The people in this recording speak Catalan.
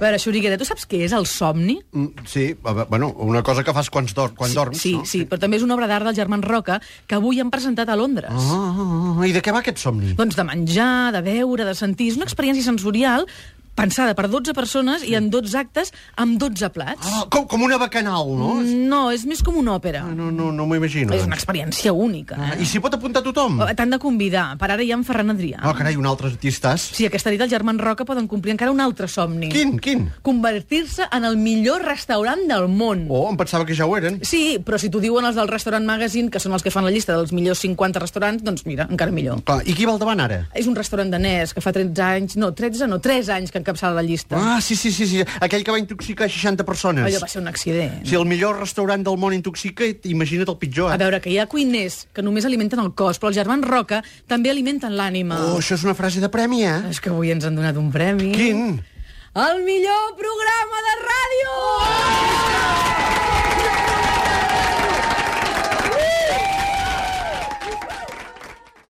A veure, Xuriguera, tu saps què és el somni? Sí, bueno, una cosa que fas quan dorms, Sí, no? sí, però també és una obra d'art dels germans Roca que avui han presentat a Londres. I de què va aquest somni? Doncs de menjar, de beure, de sentir. És una experiència sensorial pensada per 12 persones i en 12 actes amb 12 plats. Com una bacanal, no? No, és més com una òpera. No m'ho imagino. És una experiència única. I s'hi pot apuntar tothom? T'han de convidar. Per ara hi ha en Ferran Adrià. Carai, un altre artistàs. Sí, aquesta nit els germans Roca poden complir encara un altre somni. Quin? Convertir-se en el millor restaurant del món. Em pensava que ja ho eren. Sí, però si t'ho diuen els del Restaurant Magazine, que són els que fan la llista dels millors 50 restaurants, doncs mira, encara millor. Clar, i qui va al davant ara? És un restaurant danès que fa 3 anys que encapçala la llista. Sí. Aquell que va intoxicar 60 persones. Allò va ser un accident. Si el millor restaurant del món intoxica, imagina't el pitjor. A veure, que hi ha cuiners que només alimenten el cos, però els germans Roca també alimenten l'ànima. Això és una frase de premi, És que avui ens han donat un premi. Quin? El millor programa de ràdio!